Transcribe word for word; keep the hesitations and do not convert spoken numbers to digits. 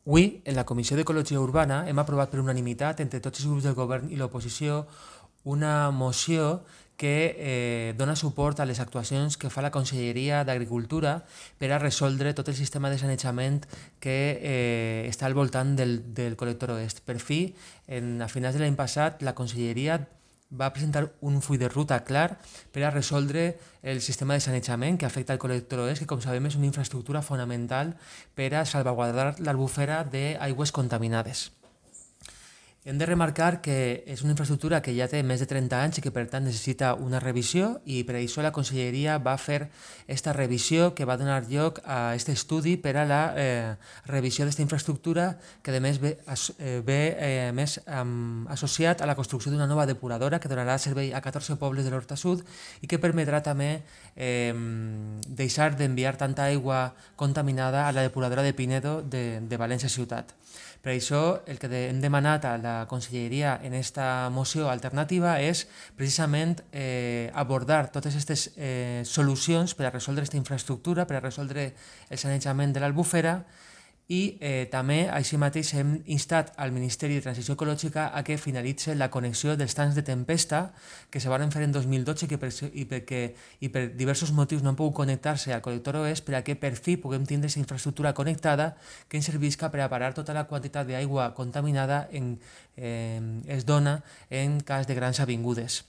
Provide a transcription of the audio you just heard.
Avui, en la Comissió d'Ecologia Urbana, hem aprovat per unanimitat entre tots els grups del govern i l'oposició una moció que eh, dona suport a les actuacions que fa la Conselleria d'Agricultura per a resoldre tot el sistema de sanejament que eh, està al voltant del, del col·lector oest. Per fi, en, a finals de l'any passat, la Conselleria va presentar un full de ruta clar per a resoldre el sistema de sanejament que afecta el col·lector oest, que com sabem és una infraestructura fonamental per a salvaguardar l'albufera d'aigües contaminades. Hem de remarcar que és una infraestructura que ja té més de trenta anys i que per tant necessita una revisió, i per això la Conselleria va fer aquesta revisió que va donar lloc a aquest estudi per a la eh, revisió d'aquesta infraestructura, que a més ve, eh, ve eh, més eh, associat a la construcció d'una nova depuradora que donarà servei a catorze pobles de l'Horta Sud i que permetrà també eh, deixar d'enviar tanta aigua contaminada a la depuradora de Pinedo de, de València Ciutat. Per això el que hem demanat a la Conselleria en aquesta moció alternativa és precisament eh, abordar totes aquestes eh, solucions per a resoldre aquesta infraestructura, per a resoldre el sanejament de l'albufera, i eh, també així mateix hem instat al Ministeri de Transició Ecològica a que finalitzi la connexió dels tancs de tempesta que se van fer en dos mil dotze que per, i, perquè, i per diversos motius no han pogut connectar-se al col·lector oest, per a que per fi puguem tindre aquesta infraestructura connectada que ens servisca per a parar tota la quantitat d'aigua contaminada en, eh, es dona en cas de grans avingudes.